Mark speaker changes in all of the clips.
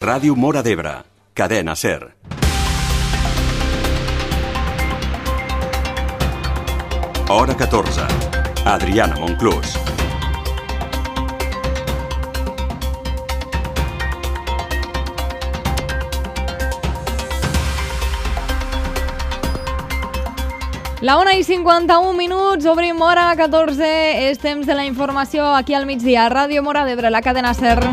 Speaker 1: Ràdio Móra d'Ebre, cadena SER. Hora 14. Adriana Monclús.
Speaker 2: La 1:51, obrim hora 14, és temps de la informació aquí al migdia. Ràdio Móra d'Ebre, la cadena SER.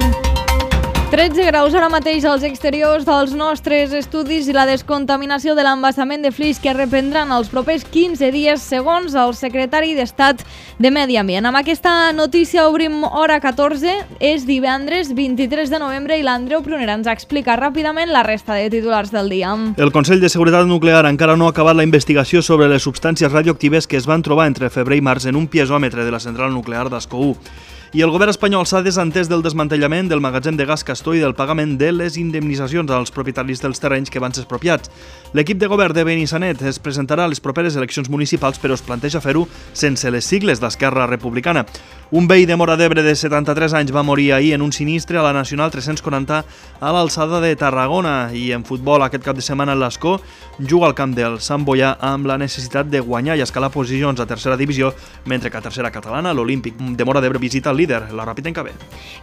Speaker 2: 13 graus ara mateix als exteriors dels nostres estudis i la descontaminació de l'embassament de Flix que reprendran els propers 15 dies, segons el secretari d'Estat de Medi Ambient. Amb aquesta notícia obrim hora 14, és divendres 23 de novembre i l'Andreu Prunera ens explica ràpidament la resta de titulars del dia.
Speaker 3: El Consell de Seguretat Nuclear encara no ha acabat la investigació sobre les substàncies radioactives que es van trobar entre febrer i març en un piezòmetre de la central nuclear d'Ascó 1. I el govern espanyol s'ha desentès del desmantellament del magatzem de gas Castor i del pagament de les indemnitzacions als propietaris dels terrenys que van ser expropiats. L'equip de govern de Benissanet es presentarà a les properes eleccions municipals, però es planteja fer-ho sense les sigles d'Esquerra Republicana. Un veí de Móra d'Ebre de 73 anys va morir ahir en un sinistre a la Nacional 340 a l'alçada de Tarragona. I en futbol, aquest cap de setmana l'Ascó juga al camp del Sant Boià amb la necessitat de guanyar i escalar posicions a tercera divisió, mentre que a tercera catalana l'Olímpic de Móra d'Ebre visita el líder, la Ràpita Encabé.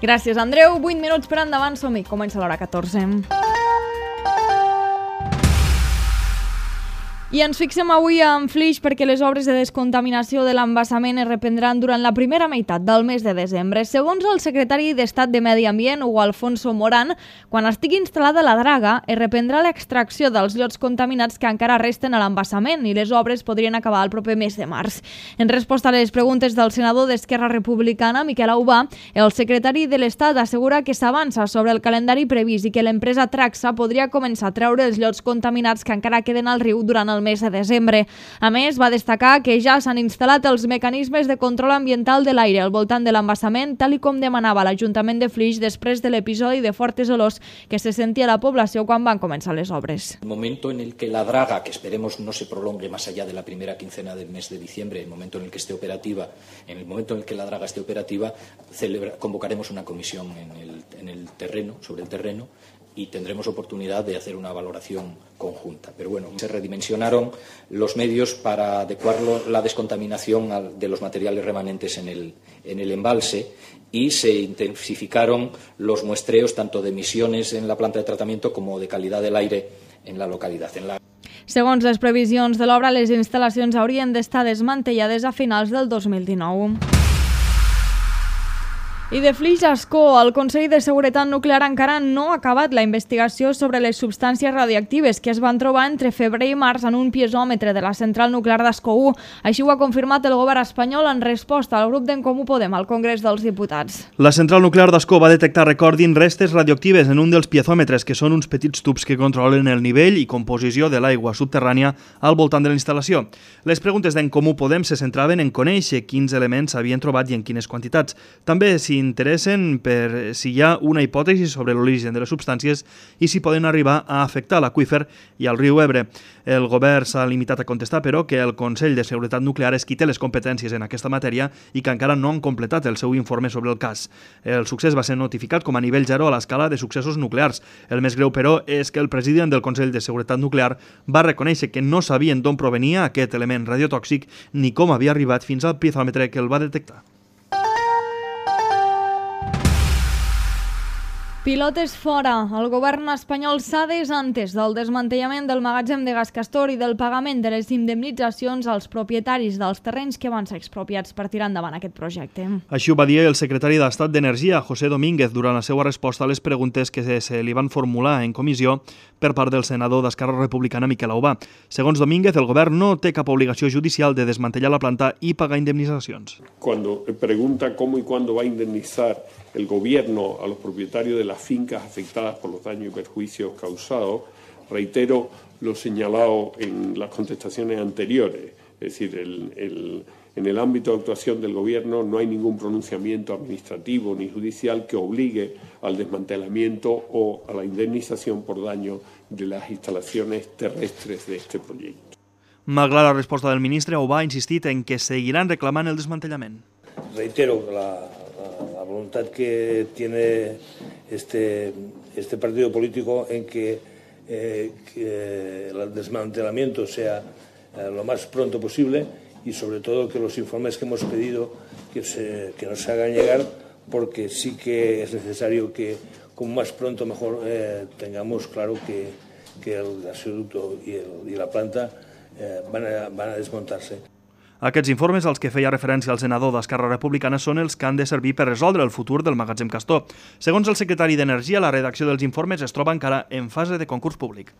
Speaker 2: Gràcies, Andreu. 8 minuts per endavant, som-hi. Comença l'hora 14. I ens fixem avui en Flix perquè les obres de descontaminació de l'embassament es reprendran durant la primera meitat del mes de desembre. Segons el secretari d'Estat de Medi Ambient, Hugo Alfonso Morán, quan estigui instal·lada la draga, es reprendrà l'extracció dels llots contaminats que encara resten a l'embassament i les obres podrien acabar el proper mes de març. En resposta a les preguntes del senador d'Esquerra Republicana, Miquel Aubà, el secretari de l'Estat assegura que s'avança sobre el calendari previst i que l'empresa Traxa podria començar a treure els llots contaminats que encara queden al riu durant el mes de desembre. A més, va destacar que ja s'han instal·lat els mecanismes de control ambiental de l'aire al voltant de l'embassament, tal i com demanava l'Ajuntament de Flix després de l'episodi de fortes olors que se sentia a la població quan van començar les obres.
Speaker 4: El momento en el que la draga, que esperemos no se prolongue más allá de la primera quincena del mes de diciembre, el momento en el que esté operativa, en el momento en el que la draga esté operativa, convocaremos una comisión en el terreno, sobre el terreno, y tendremos oportunidad de hacer una valoración conjunta. Pero bueno, se redimensionaron los medios para adecuar la descontaminación de los materiales remanentes en el embalse y se intensificaron los muestreos tanto de emisiones en la planta de tratamiento como de calidad del aire en la localidad.
Speaker 2: Segons les previsions de l'obra, les instal·lacions haurien d'estar desmantellades a finals del 2019. I de Flix a Ascó, el Consell de Seguretat Nuclear encara no ha acabat la investigació sobre les substàncies radioactives que es van trobar entre febrer i març en un piezòmetre de la central nuclear d'Ascó 1. Així ho ha confirmat el govern espanyol en resposta al grup d'en Comú Podem al Congrés dels Diputats.
Speaker 3: La central nuclear d'Ascó va detectar, recordin, restes radioactives en un dels piezòmetres, que són uns petits tubs que controlen el nivell i composició de l'aigua subterrània al voltant de la instal·lació. Les preguntes d'en Comú Podem se centraven en conèixer quins elements s'havien trobat i en quines quantitats. També interessen per si hi ha una hipòtesi sobre l'origen de les substàncies i si poden arribar a afectar l'aqüífer i al riu Ebre. El govern s'ha limitat a contestar, però, que el Consell de Seguretat Nuclear és qui té les competències en aquesta matèria i que encara no han completat el seu informe sobre el cas. El succés va ser notificat com a nivell 0 a l'escala de successos nuclears. El més greu, però, és que el president del Consell de Seguretat Nuclear va reconèixer que no sabien d'on provenia aquest element radiotòxic ni com havia arribat fins al piezòmetre que el va detectar.
Speaker 2: Pilotes fora. El govern espanyol s'ha desentès del desmantellament del magatzem de gas Castor i del pagament de les indemnitzacions als propietaris dels terrenys que van ser expropiats per tirar endavant aquest projecte.
Speaker 3: Així ho va dir el secretari d'Estat d'Energia, José Domínguez, durant la seva resposta a les preguntes que se li van formular en comissió per part del senador d'Esquerra Republicana, Miquel Aubà. Segons Domínguez, el govern no té cap obligació judicial de desmantellar la planta i pagar indemnitzacions.
Speaker 5: Cuando pregunta cómo y cuándo va a indemnizar el gobierno a los propietarios de las fincas afectadas por los daños y perjuicios causados, reitero lo señalado en las contestaciones anteriores. Es decir, en el ámbito de actuación del gobierno no hay ningún pronunciamiento administrativo ni judicial que obligue al desmantelamiento o a la indemnización por daño de las instalaciones terrestres de este proyecto.
Speaker 3: Malgrat la resposta del ministre, Aubà ha insistit en que seguiran reclamant el desmantellament.
Speaker 6: Reitero la voluntad que tiene este partido político en que el desmantelamiento sea lo más pronto posible y sobre todo que los informes que hemos pedido que nos hagan llegar, porque sí que es necesario que como más pronto mejor tengamos claro que el gasoducto y la planta van a desmontar-se.
Speaker 3: Aquests informes, als que feia referència el senador d'Esquerra Republicana, són els que han de servir per resoldre el futur del magatzem Castor. Segons el secretari d'Energia, la redacció dels informes es troba encara en fase de concurs públic.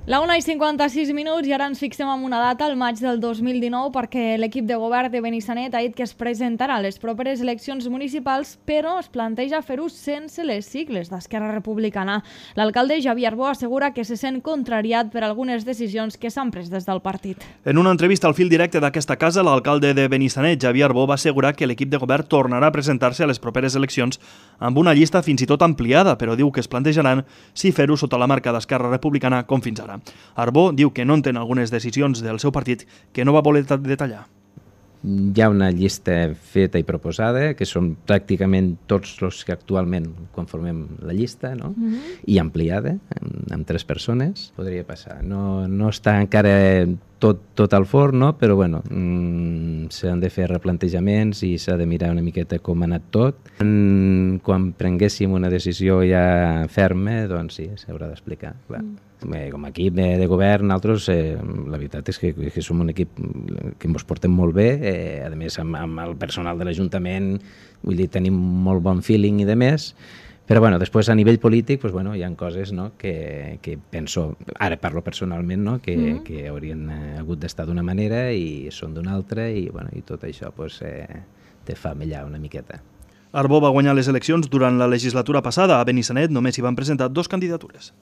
Speaker 2: La 1:56 i ara ens fixem en una data, el maig del 2019, perquè l'equip de govern de Benissanet ha dit que es presentarà a les properes eleccions municipals, però es planteja fer-ho sense les sigles d'Esquerra Republicana. L'alcalde Javier Arbó assegura que se sent contrariat per algunes decisions que s'han pres des del partit.
Speaker 3: En una entrevista al fil directe d'aquesta casa, l'alcalde de Benissanet, Javier Arbó, va assegurar que l'equip de govern tornarà a presentar-se a les properes eleccions amb una llista fins i tot ampliada, però diu que es plantejaran si fer-ho sota la marca d'Esquerra Republicana com fins ara. Arbó diu que no entén algunes decisions del seu partit que no va voler detallar.
Speaker 7: Hi ha una llista feta i proposada, que són pràcticament tots els que actualment conformem la llista, no? I ampliada, amb 3 persones. Podria passar. No està encara tot al forn, no? Però bueno, s'han de fer replantejaments i s'ha de mirar una miqueta com ha anat tot. Quan prenguéssim una decisió ja ferma, doncs sí, s'haurà d'explicar, clar. Com a equip de govern, nosaltres, la veritat és que som un equip que ens portem molt bé, a més amb el personal de l'Ajuntament, vull dir, tenim molt bon feeling i de més, però bueno, després a nivell polític pues, bueno, hi ha coses, no, que penso, ara parlo personalment, no, que haurien hagut d'estar d'una manera i són d'una altra i, bueno, i tot això pues, te fa mellar una miqueta.
Speaker 3: Arbó va guanyar les eleccions durant la legislatura passada. A Benissanet només hi van presentar 2 candidatures.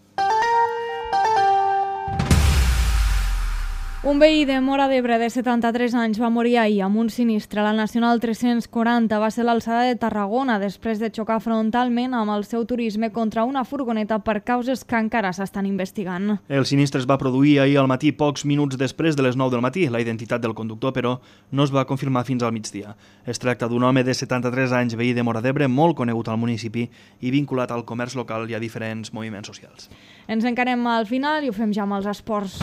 Speaker 2: Un veí de Móra d'Ebre de 73 anys va morir ahir amb un sinistre. La Nacional 340 va ser l'alçada de Tarragona després de xocar frontalment amb el seu turisme contra una furgoneta per causes que encara s'estan investigant.
Speaker 3: El sinistre es va produir ahir al matí, pocs minuts després de les 9 del matí. La identitat del conductor, però, no es va confirmar fins al migdia. Es tracta d'un home de 73 anys, veí de Móra d'Ebre, molt conegut al municipi i vinculat al comerç local i a diferents moviments socials.
Speaker 2: Ens encarem al final i ho fem ja amb els esports.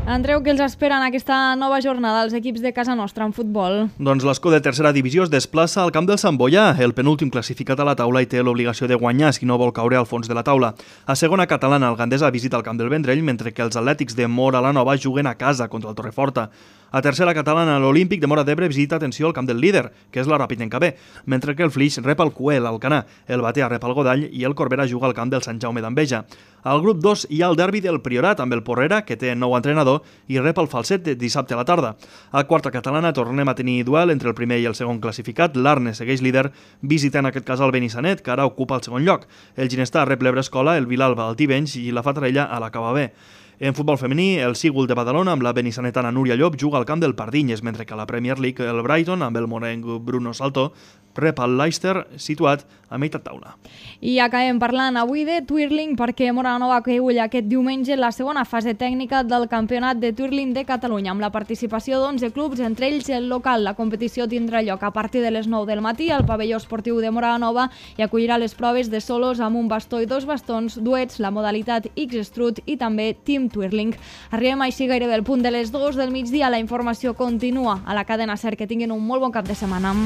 Speaker 2: Andreu, què els espera en aquesta nova jornada als equips de casa nostra en futbol?
Speaker 3: Doncs l'Escó de tercera divisió es desplaça al camp del Sant Boià, el penúltim classificat a la taula i té l'obligació de guanyar si no vol caure al fons de la taula. A segona catalana, el Gandesa visita el camp del Vendrell, mentre que els atlètics de Móra la Nova juguen a casa contra el Torreforta. A tercera catalana, l'Olímpic de Móra d'Ebre visita, atenció, el camp del líder, que és la Ràpid en Cabé, mentre que el Flix rep el Cué, l'Alcanar, el Batea rep el Godall i el Corbera juga al camp del Sant Jaume d'Enveja. Al grup 2 hi ha el derbi del Priorat amb el Porrera, que té nou entrenador, i rep el Falset dissabte a la tarda. A quarta catalana tornem a tenir duel entre el primer i el segon classificat. L'Arne segueix líder, visitant en aquest cas el Benissanet, que ara ocupa el segon lloc. El Ginestar rep l'Ebrescola, el Vilalba al Tivenys i la Fatarella a la Cava B. En futbol femení, el Sígul de Badalona amb la benissanetana Núria Llop juga al camp del Pardinyes, mentre que a la Premier League el Brighton amb el morenc Bruno Saltó rep el Leicester, situat a meitat taula.
Speaker 2: I acabem parlant avui de twirling perquè Móra la Nova acull aquest diumenge la segona fase tècnica del Campionat de Twirling de Catalunya, amb la participació d'11 clubs, entre ells el local. La competició tindrà lloc a partir de les 9 del matí al pavelló esportiu de Móra la Nova i acollirà les proves de solos amb un bastó i 2 bastons, duets, la modalitat X-Strut i també Team Twirling. Arribem així gairebé al punt de les 2 del migdia. La informació continua a la cadena SER. Que tinguin un molt bon cap de setmana.